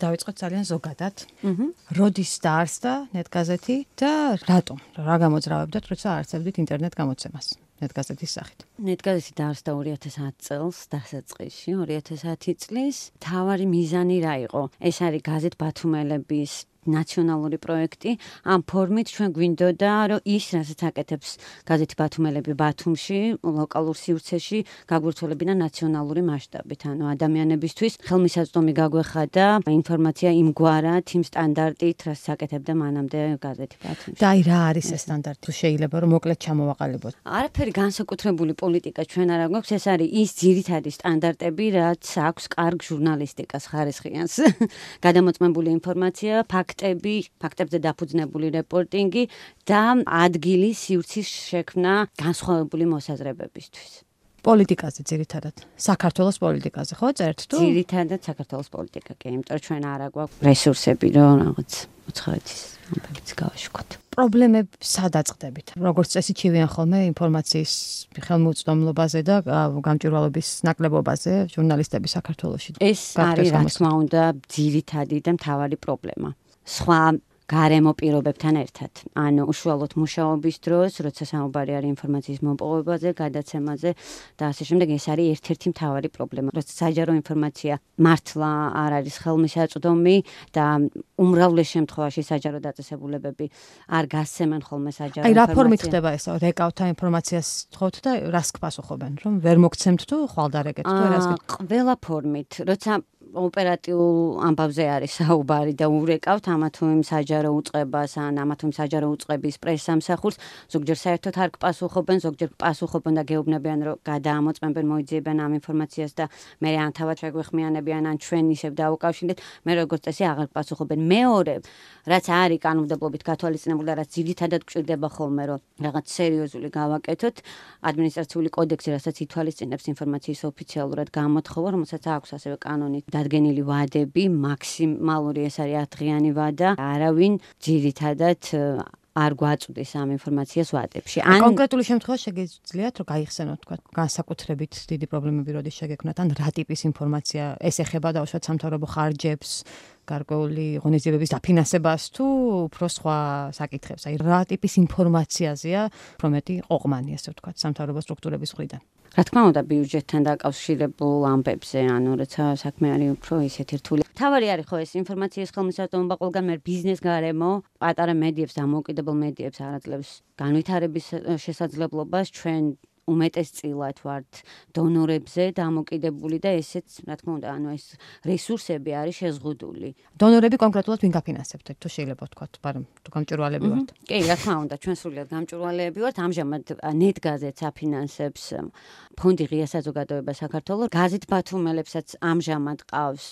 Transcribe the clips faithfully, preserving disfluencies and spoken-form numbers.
დავიწყოთ ძალიან ზოგადად. როდის დაარსდა ნეტგაზეთი და რატომ? რა გამოძრავებდათ, როცა აარსებდით ინტერნეტ გამოცემას? ნეტგაზეთის სახით. ნეტგაზეთი დაარსდა ორი ათას ათი წელს დასაწყისში, ორი ათას ათი წლის. თავარი მიზანი რა იყო? ეს არის გაზეთ ბათუმელების ნაციონალური პროექტი. ამ ფორმით ჩვენ გვინდოდა, რომ ის, რასაც აკეთებს გაზეთი ბათუმელები ბათუმში, ლოკალურ სივრცეში, გაგვირთვლებინა ნაციონალური მასშტაბით. ანუ ადამიანებისთვის ხელმისაწვდომი გაგვეხადა ინფორმაცია იმგვარად, იმ სტანდარტით, რასაც აკეთებდა მანამდე გაზეთი ბათუმში. და აი რა არის ეს სტანდარტი? თუ შეიძლება რომ მოკლედ ჩამოვაყალიბოთ. არაფერი განსაკუთრებული პოლიტიკა ჩვენ არ გვაქვს, ეს არის ის ძირითადი სტანდარტები, რაც აქვს კარგ ჟურნალისტიკას ხარისხიანს. გადამოწმებული ინფორმაცია, ფაქტები, ფაქტებზე დაფუძნებული რეპორტინგი და ადგილის სივრცის შექმნა განსხვავებული მოსაზრებებისთვის. პოლიტიკაზე ძირითადად. საქართველოს პოლიტიკაზე, ხო, წერთ თუ? ძირითადად საქართველოს პოლიტიკა, კი, იმიტომ რომ ჩვენ არა გვაქვს რესურსები, რომ რაღაც უცხოეთის ამბებიც გავაშუქოთ. პრობლემები სადაწყდებით. როგორც წესი ჩივიან ხოლმე ინფორმაციის ხელმოწვდომლობაზე და გამჭვირვალობის ნაკლებობაზე ჟურნალისტები საქართველოში. ეს არის რა თქმა უნდა ძირითადი და მთავარი პრობლემა. სხვა გარემო პირობებთან ერთად. ანუ უშუალოდ მუშაობის დროს, როცა საუბარი არის ინფორმაციის მოპოვებაზე, გადაცემაზე და ასე შემდეგ, ეს არის ერთ-ერთი მთავარი პრობლემა. როცა საჯარო ინფორმაცია მართლა არ არის ხელმისაწვდომი და უმრავლეს შემთხვევაში საჯარო დაწესებულებები არ გასცემენ ხოლმე საჯარო ინფორმაციას. აი რა ფორმით ინფორმაციას. ხდება ეს? რეკავთა ინფორმაციას თხოვთ და რას გპასუხობენ? რომ ვერ მოგცემთ თუ ხვალდარეკეთ თუ აა, რას? ყველა ფორმით, როცა ოპერატიულ ამბავზე არის საუბარი და ურეკავთ ამა თუ იმ საჯარო უწყებას ან ამა თუ იმ საჯარო უწყების პრესსამსახურს, ზოგჯერ საერთოდ არ გპასუხობენ, ზოგჯერ გპასუხობენ და გეუბნებიან, რომ გადაამოწმებენ, მოიძიებენ ამ ინფორმაციას და მე ან თავად შეგვეხმიანებიან, ან ჩვენ ისევ დაუკავშირდეთ, მე როგორც წესი აღარ გპასუხობენ. მეორე, რაც არის კანონმდებლობით გათვალისწინებული და რაც ძირითადად გვჭირდება ხოლმე, რომ რაღაც სერიოზული გავაკეთოთ, ადმინისტრაციული კოდექსი, რასაც ითვალისწინებს ინფორმაციის ოფიციალურად გამოთხოვა, რომელსაც აქვს ასევე კანონით დადგენილი ვადები, მაქსიმალური ეს არის ათდღიანი ვადა, არავინ ძირითადად არ გვაწვდის ამ ინფორმაციას ვადებში. ან კონკრეტული შემთხვევა შეგიძლიათ რომ გაიხსენოთ, თქვა, განსაკუთრებით დიდი პრობლემები როდის შეგექმნათ, ან რა ტიპის ინფორმაცია ეს ეხება დაუშვათ სამთავრობო ხარჯებს, გარკვეული ღონისძიებების დაფინანსებას თუ უფრო სხვა საკითხებს. აი რა ტიპის ინფორმაციაზეა პრომეტი ყოყმანი, ასე ვთქვათ, სამთავრობო სტრუქტურების მხრიდან. რა თქმა უნდა, ბიუჯეტთან დაკავშირებულ ამბებზე, ანუ როცა საქმე არის უფრო ისეთი რთული. თავარი არის ხო ეს ინფორმაციის ხელმისაწვდომობა ყველგან მე ბიზნეს გარემო, პატარა მედიებს და დამოუკიდებელ მედიებს არაძლევს განვითარების შესაძლებლობას, ჩვენ უმეტესწილად ვართ დონორებზე დამოკიდებული და ესეც, რა თქმა უნდა, ანუ ეს რესურსები არის შეზღუდული. დონორები კონკრეტულად ვინ გაფინანსებთ, თუ შეიძლება ვთქვათ, მაგრამ თუ გამჭვირვალეები ვართ. კი, რა თქმა უნდა, ჩვენ სრულიად გამჭვირვალეები ვართ. ამჟამად ნეტგაზეთს აფინანსებს ფონდი ღია საზოგადოება საქართველოს. გაზეთ ბათუმელებსაც ამჟამად ყავს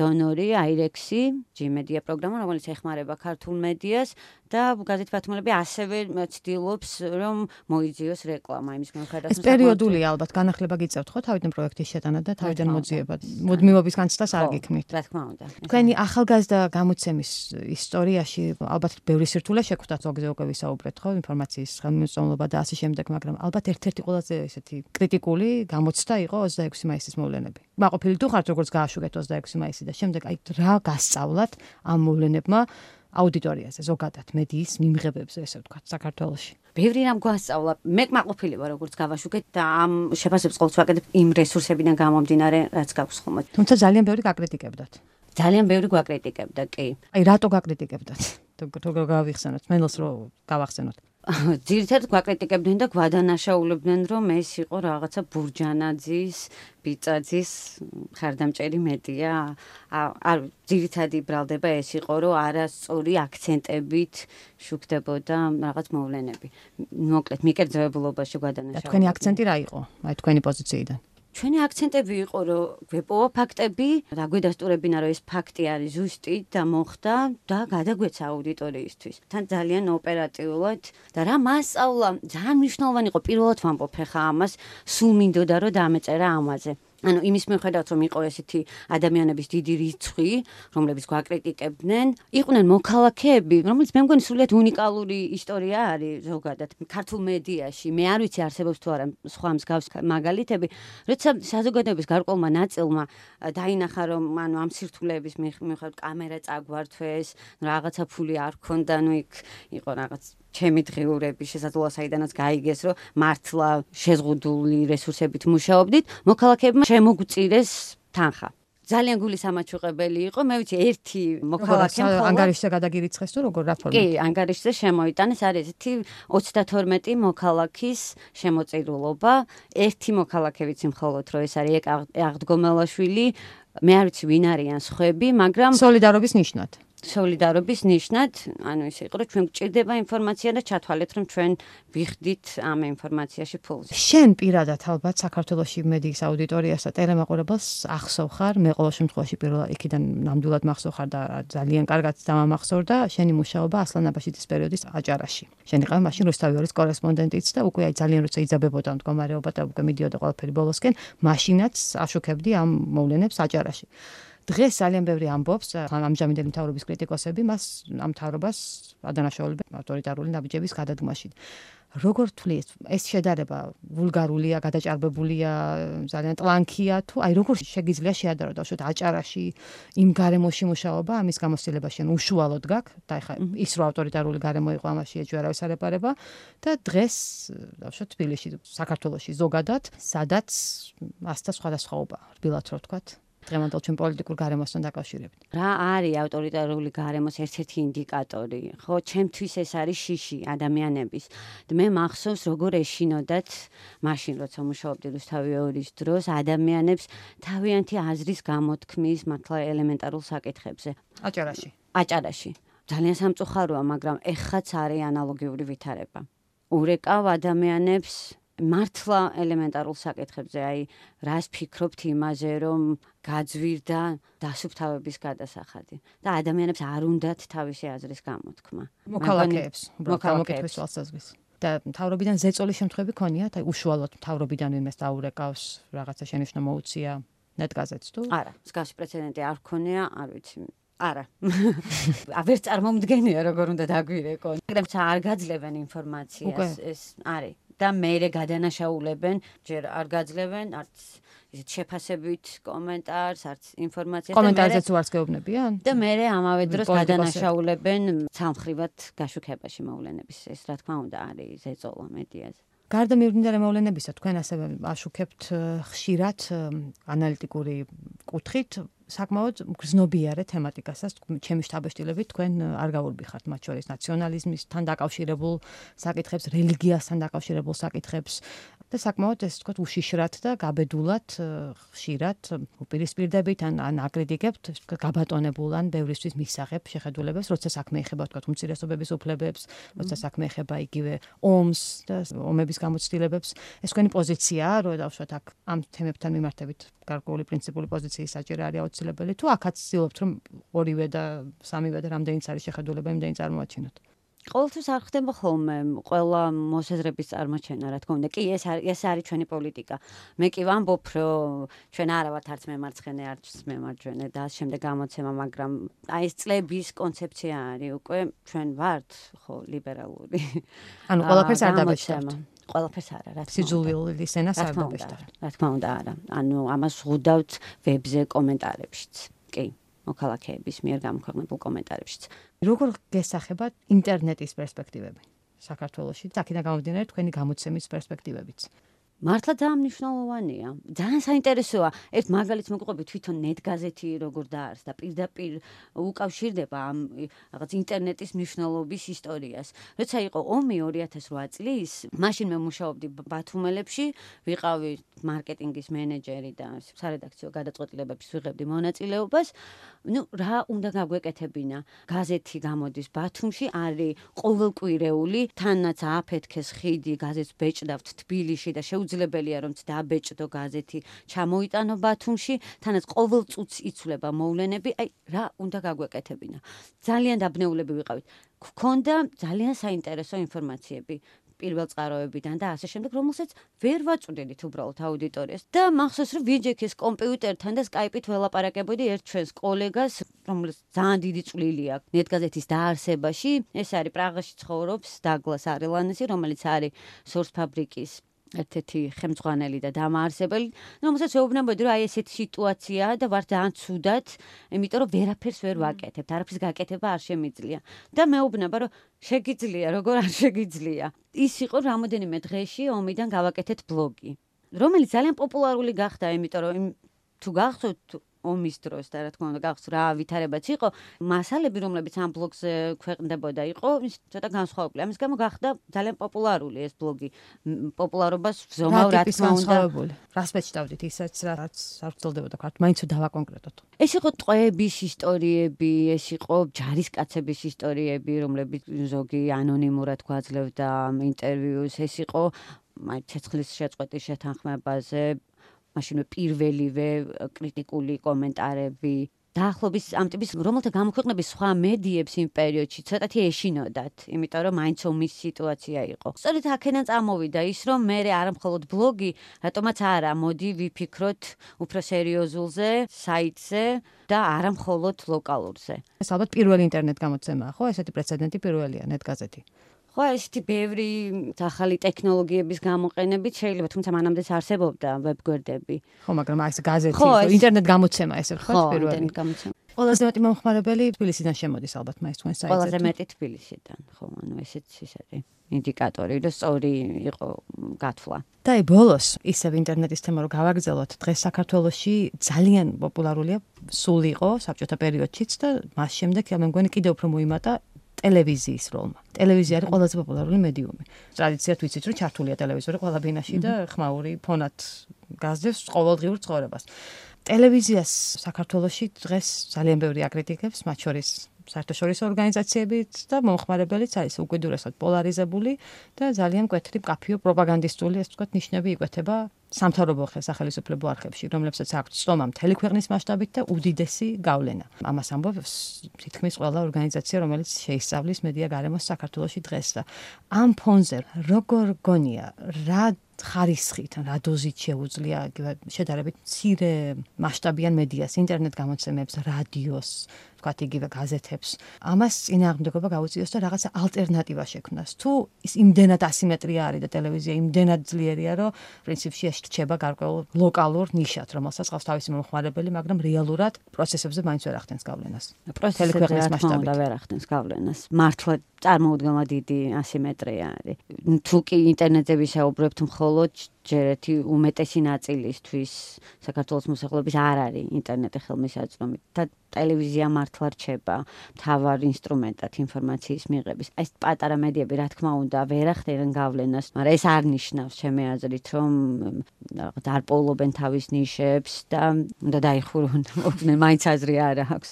დონორი აირექსი, ჯი მედია პროგრამა, რომელიც ეხმარება ქართულ მედიას და გაზეთ ბათუმელები ასევე ცდილობს, რომ მოიძიოს რეკლამა იმის ეს პერიოდულია ალბათ, განახლება გიწევთ ხო თავიდან პროექტის შეტანა და თავიდან მოძიება. მუდმივობის განცდას არ გიქმნით. რა თქმა უნდა. თქვენი ახალგაზრდა გამოცემის ისტორიაში ალბათ ბევრი სირთულე შეგვხვდათ, ზოგზე უკვე ვისაუბრეთ ხო, ინფორმაციის ხელმისაწვდომობა და ასე შემდეგ, მაგრამ ალბათ ერთ-ერთი ყველაზე ესეთი კრიტიკული გამოცდა იყო ოცდაექვსი მაისის მოვლენები. მაყოფილი თუ ხართ როგორც გააშუქეთ ოცდაექვსი მაისი და შემდეგ აი რა გასწავლათ ამ მოვლენებმა აუდიტორიაზე, ზოგადად მედიის მიმღებებზე, ესე ვთქვათ, საქართველოში. ბევრი რამ გვასწავლა. მე კმაყოფილი ვარ, როგორც გავაშუქეთ და ამ შეფასებს ყოველთვის ვაკეთებ იმ რესურსებიდან გამომდინარე, რაც გაქვს ხოლმე. თუმცა ძალიან ბევრი გაკრიტიკებდათ. ძალიან ბევრი გვაკრიტიკებდა, კი. აი რატო გაკრიტიკებდათ? თუ გავიხსენოთ, მენელს რო გავახსენოთ. ძირითადად გვაკრიტიკებდნენ და გვადანაშაულებდნენ, რომ ეს იყო რაღაცა ბურჯანაძის, ბიწაძის ხარდამჭერი მედია. არ ძირითადად იბრალდება ეს იყო, რომ არასწორი აქცენტებით შუქდებოდა რაღაც მოვლენები. მოკლედ, მიკერძოებულობაში გვადანაშაულებდნენ. თქვენი აქცენტი რა იყო? აი თქვენი პოზიციიდან. ჩვენი აქცენტები იყო, რომ გვეპოვა ფაქტები, რა გვედასტურებინა, რომ ეს ფაქტი არის ზუსტი და მოხდა და გადაგვეცა აუდიტორიისთვის. თან ძალიან ოპერატიულად და რა მასწავლა ძალიან მნიშვნელოვანი იყო, პირველად ვამბობ ხა ამას, სულ მინდოდა რომ დამეწერა ამაზე. ანუ იმის მიუხედავად რომ იყო ესეთი ადამიანების დიდი რიცხვი, რომლებიც გვაკრიტიკებდნენ, იყვნენ მოქალაქეები, რომელიც მე მგონი სრულიად უნიკალური ისტორია არის ზოგადად ქართულ მედიაში. მე არ ვიცი არსებობს თუ არა სხვა მსგავს მაგალითები, როცა საზოგადოების გარკვეულმა ნაწილმა დაინახა რომ ანუ ამ სირთულეების მიუხედავად კამერა წაგვართვეს, რაღაცა ფული არ ქონდა, ნუ იქ იყო რაღაც ჩემი დღიურები შესაძლოა საიდანაც გაიგეს, რომ მართლა შეზღუდული რესურსებით მუშაობდით, მოქალაქეებმა შემოგვწირეს თანხა. ძალიან გულისამაჩუყებელი იყო, მე ვიცი ერთი მოქალაქე მხოლოდ ანგარიშზე გადაგირიცხეს თუ როგორ რა ფორმით? კი, ანგარიშზე შემოიტანეს, არის ესეთი ოცდათორმეტი მოქალაქის შემოწირულობა, ერთი მოქალაქე ვიცი მხოლოდ რომ ეს არის აღდგომელაშვილი, მე არ ვიცი ვინ არიან სხვები, მაგრამ სოლიდარობის ნიშნად. სოლიდარობის ნიშნად, ანუ ისე იყო, რომ ჩვენ გვჭირდება ინფორმაცია და ჩათვალეთ, რომ ჩვენ ვიხდით ამ ინფორმაციაში ფულს. შენ პირადად ალბათ საქართველოში მედიის აუდიტორიას და ტელემაყურებელს ახსოვ ხარ, მე ყოველ შემთხვევაში პირველად იქიდან ნამდვილად მახსოვ ხარ და ძალიან კარგად დამამახსოვრდა შენი მუშაობა ასლან აბაშიძის პერიოდის აჭარაში. შენ იყავი მაშინ რუსთავიორის კორესპონდენტიც და უკვე აი ძალიან როცა იძაბებოდა მდგომარეობა და უკვე მიდიოდა ყველაფერი ბოლოსკენ, მაშინაც აშუქებდი ამ მოვლენებს აჭარაში. დღეს ძალიან ბევრი ამბობს, ამჟამინდელი მთავრობის კრიტიკოსები მას ამ მთავრობას ადანაშაულებენ ავტორიტარული ნაბიჯების გადადგმაში. როგორ თვლი ეს შედარება ვულგარულია, გადაჭარბებულია, ძალიან ტლანქია თუ აი როგორ შეგიძლია შეადარო დავშოთ აჭარაში იმ გარემოში მუშაობა, ამის გამოცდილება შენ უშუალოდ გაქვს და ეხლა ის რო ავტორიტარული გარემო იყო ამაში ეჭვი არავის არ ეპარება და დღეს დავშოთ თბილისში, საქართველოში ზოგადად, სადაც ასთა სხვადასხვაობა, რბილად რო ვთქვათ. დღევანდელ ჩვენ პოლიტიკურ გარემოსთან დაკავშირებით. რა არის ავტორიტარული გარემოს ერთ-ერთი ინდიკატორი? ხო, ჩემთვის ეს არის შიში ადამიანების. მე მახსოვს როგორ ეშინოდათ მაშინ როცა მუშაობდი რუსთავიორის დროს ადამიანებს თავიანთი აზრის გამოთქმის მართლა ელემენტარულ საკითხებზე. აჭარაში. აჭარაში. ძალიან სამწუხაროა, მაგრამ ეხაც არის ანალოგიური ვითარება. ურეკავ ადამიანებს მართლა ელემენტარულ საკითხებზე, აი, რას ფიქრობთ იმაზე, რომ გაძვირდა დასუფთავების გადასახადი და ადამიანებს არ უნდათ თავისი აზრის გამოთქმა. მოქალაქეებს, მოქალაქეებს თვალსაზრისით. და მთავრობიდან ზეწოლის შემთხვევები ქონიათ, აი უშუალოდ მთავრობიდან ვინმეს დაურეკავს, რაღაცა შენიშვნა მოუწია ნეტგაზეთს თუ? არა, მსგავსი პრეცედენტი არ ქონია, არ ვიცი. არა. აღარ წარმომდგენია როგორ უნდა დაგვირეკონ. მაგრამ არ გაძლევენ ინფორმაციას, ეს არის. და მეერე გადანაშაულებენ, ჯერ არ გაძლევენ, არც ისეთ შეფასებით კომენტარს, არც ინფორმაციას. კომენტარზეც უარს გეუბნებიან? და მეერე ამავე დროს გადანაშაულებენ სამხრივად გაშუქებაში მოვლენების. ეს რა თქმა უნდა არის ზეწოლა მედიაზე. გარდა მიუხედავად მოვლენებისა, თქვენ ასევე აშუქებთ ხშირად ანალიტიკური კუთხით საკმაოდ გრძნობიარე თემატიკასაც, ჩემი შთაბეჭდილებით თქვენ არ გაურბიხართ მათ შორის ნაციონალიზმისთან დაკავშირებულ საკითხებს, რელიგიასთან დაკავშირებულ საკითხებს და საკმაოდ ეს თქვათ უშიშრად და გაბედულად ხშირად უპირისპირდებით ან ან აკრიტიკებთ გაბატონებულ ან ბევრისთვის მისაღებ შეხედულებებს, როცა საქმე ეხება თქვათ უმცირესობების უფლებებს, როცა საქმე ეხება იგივე ომს და ომების გამოცდილებებს. ეს თქვენი პოზიციაა, რომ დავუშვათ აქ ამ თემებთან მიმართებით გარკვეული პრინციპული პოზიციის საჭირო არის აუცილებელი თუ აქაც ცდილობთ რომ ორივე და სამივე და რამდენიც არის შეხედულება იმდენი წარმოაჩინოთ. ყოველთვის არ ხდება ხოლმე ყველა მოსაზრების წარმოჩენა, რა თქმა უნდა. კი, ეს არის ეს არის ჩვენი პოლიტიკა. მე კი ვამბობ, რომ ჩვენ არა ვართ არც მემარცხენე, არც მემარჯვენე და ამ შემდეგ გამოცემა, მაგრამ აი ეს წლების კონცეფცია არის უკვე ჩვენ ვართ ხო ლიბერალური. ანუ ყველაფერს არ დაბეჭდებთ. ყველაფერს არა, რა თქმა უნდა. სიძულვილის ენას არ დაბეჭდებთ. რა თქმა უნდა, არა. ანუ ამას ვღუდავთ ვებზე კომენტარებშიც. კი. მოქალაქეების მიერ გამოქვეყნებულ კომენტარებშიც. როგორ გესახებათ ინტერნეტის პერსპექტივები საქართველოში? აქედან გამომდინარე თქვენი გამოცემის პერსპექტივებიც. მართლა ძალიან მნიშვნელოვანია. ძალიან საინტერესოა. ერთ მაგალითს მოგყვები თვითონ ნეტგაზეთი როგორ დაარსდა, პირდაპირ უკავშირდება ამ რაღაც ინტერნეტის მნიშვნელობის ისტორიას. როცა იყო ომი ორი ათას რვა წლის, მაშინ მე მუშაობდი ბათუმელებში, ვიყავი მარკეტინგის მენეჯერი და სარედაქციო გადაწყვეტილებებში ვიღებდი მონაწილეობას. ნუ რა უნდა გაგვეკეთებინა? გაზეთი გამოდის ბათუმში, არის ყოველკვირეული, თანაც აფეთქეს ხიდი, გაზეთს ბეჭდავთ თბილისში და შეუძლებელია რომ დაბეჭდო გაზეთი, ჩამოიტანო ბათუმში, თანაც ყოველ წუთს იცვლება მოვლენები, აი რა უნდა გაგვეკეთებინა. ძალიან დაბნეულები ვიყავით. გქონდა ძალიან საინტერესო ინფორმაციები. პირველ წყაროებიდან და ასე შემდეგ, რომელსაც ვერ ვაწვდიდით უბრალოდ აუდიტორიას. და მახსოვს, რომ ვიჯექეს კომპიუტერთან და Skype-ით ველაპარაკებოდი ერთ ჩვენს კოლეგას, რომელიც ძალიან დიდი წვლილი აქვს ნეტგაზეთის დაარსებაში. ეს არის პრაღაში ცხოვრობს დაგლას არელანესი, რომელიც არის Source Fabric-ის ერთ-ერთი ხელმძღვანელი და დამაარსებელი, რომელსაც ვეუბნებოდი, რომ აი ესეთი სიტუაციაა და ვარ ძალიან ცუდად, იმიტომ რომ ვერაფერს ვერ ვაკეთებ, არაფრის გაკეთება არ შემიძლია. და მეუბნება, რომ შეგიძლია, როგორ არ შეგიძლია. ის იყო რამოდენიმე დღეში ომიდან გავაკეთეთ ბლოგი, რომელიც ძალიან პოპულარული გახდა, იმიტომ რომ თუ გახსოვთ ომის დროს და რა თქმა უნდა გახსოვთ რა ვითარებაც იყო, მასალები, რომლებიც ამ ბლოგზე ქვეყნდებოდა, იყო ცოტა განსხვავებული. ამის გამო გახდა ძალიან პოპულარული ეს ბლოგი. პოპულარობას ვზომავ, რა თქმა უნდა. რას მეჩნდავდით, ისაც რაც არ ვწელდებოდა ქართ, მაინც დავაკონკრეტოთ. ეს იყო ტყვეების ისტორიები, ეს იყო ჯარისკაცების ისტორიები, რომლებიც ზოგი ანონიმურად გვაძლევდა ინტერვიუს, ეს იყო ცეცხლის შეწყვეტის შეთანხმებაზე მაშინვე პირველივე კრიტიკული კომენტარები. დაახლოებით ამ ტიპის რომელთა გამოქვეყნების სხვა მედიებს იმ პერიოდში ცოტათი ეშინოდათ, იმიტომ რომ მაინც ომის სიტუაცია იყო. სწორედ აქედან წამოვიდა ის, რომ მე არ მხოლოდ ბლოგი, რატომაც არა, მოდი ვიფიქროთ უფრო სერიოზულზე, საიტზე და არა მხოლოდ ლოკალურზე. ეს ალბათ პირველი ინტერნეტ გამოცემაა, ხო? ესეთი პრეცედენტი პირველია ნეტგაზეთი. ხო, ესეთი ბევრი ახალი ტექნოლოგიების გამოყენებით შეიძლება, თუმცა მანამდეც არსებობდა ვებგვერდები. ხო, მაგრამ აი ეს გაზეთი, ინტერნეტ გამოცემა ესე ვთქვათ, პირველი. ხო, ინტერნეტ გამოცემა. ყველაზე მეტი მომხმარებელი თბილისიდან შემოდის ალბათ მაინც თქვენ საიტზე. ყველაზე მეტი თბილისიდან, ხო, ანუ ესეც ის არის ინდიკატორი, რომ სწორი იყო გათვლა. და აი ბოლოს ისევ ინტერნეტის თემა რო გავაგრძელოთ, დღეს საქართველოში ძალიან პოპულარულია, სულ იყო საბჭოთა პერიოდშიც და მას შემდეგ მე მგონი კიდევ უფრო მოიმატა ტელევიზიის როლმა. ტელევიზია არის ყველაზე პოპულარული მედიუმი. ტრადიციად ვიცით, რომ ჩართულია ტელევიზორი ყველა ბინაში და ხმაური ფონად გაზრდებს ყოველდღიურ ცხოვრებას. ტელევიზიას საქართველოში დღეს ძალიან ბევრი აკრიტიკებს, მათ შორის საერთაშორისო ორგანიზაციებიც და მომხმარებელიც არის უკიდურესად პოლარიზებული და ძალიან მკვეთრი მკაფიო პროპაგანდისტული, ასე ვთქვათ, ნიშნები იკვეთება სამთავრობო სახელმწიფო არხებში, რომლებსაც აქვთ წომა მთელი ქვეყნის მასშტაბით და უდიდესი გავლენა. ამას ამბობს თითქმის ყველა ორგანიზაცია, რომელიც შეისწავლის მედია გარემოს საქართველოში დღეს და ამ ფონზე როგორ გონია, რა ხარისხით, რა დოზით შეუძლია შედარებით მცირე მასშტაბიან მედიას, ინტერნეტ გამოცემებს, რადიოს, ვთქვათ, იგივე გაზეთებს, ამას წინააღმდეგობა გაუწიოს და რაღაცა ალტერნატივა შექმნას. თუ ის იმდენად ასიმეტრია არის და ტელევიზია იმდენად ძლიერია, რომ პრინციპში ეს რჩება გარკვეულ ლოკალურ ნიშად, რომელსაც ყავს თავისი მომხმარებელი, მაგრამ რეალურად პროცესებზე მაინც ვერ ახდენს გავლენას. მთელი ქვეყნის მასშტაბით ვერ ახდენს გავლენას. მართლა წარმოუდგენლად დიდი ასიმეტრია არის. თუ კი ინტერნეტზე ვისაუბრებთ, მხოლოდ ჯერეთი უმეტესი ნაწილისთვის საქართველოს მოსახლეობის არ არის ინტერნეტი ხელმისაწვდომით და ტელევიზია მართლა რჩება მთავარ ინსტრუმენტად ინფორმაციის მიღების. ეს პატარა მედიები, რა თქმა უნდა, ვერ ახდენენ გავლენას, მაგრამ ეს არ ნიშნავს ჩემი აზრით, რომ არ პოულობენ თავის ნიშებს და უნდა დაიხურონ, მაინც აზრი არ აქვს.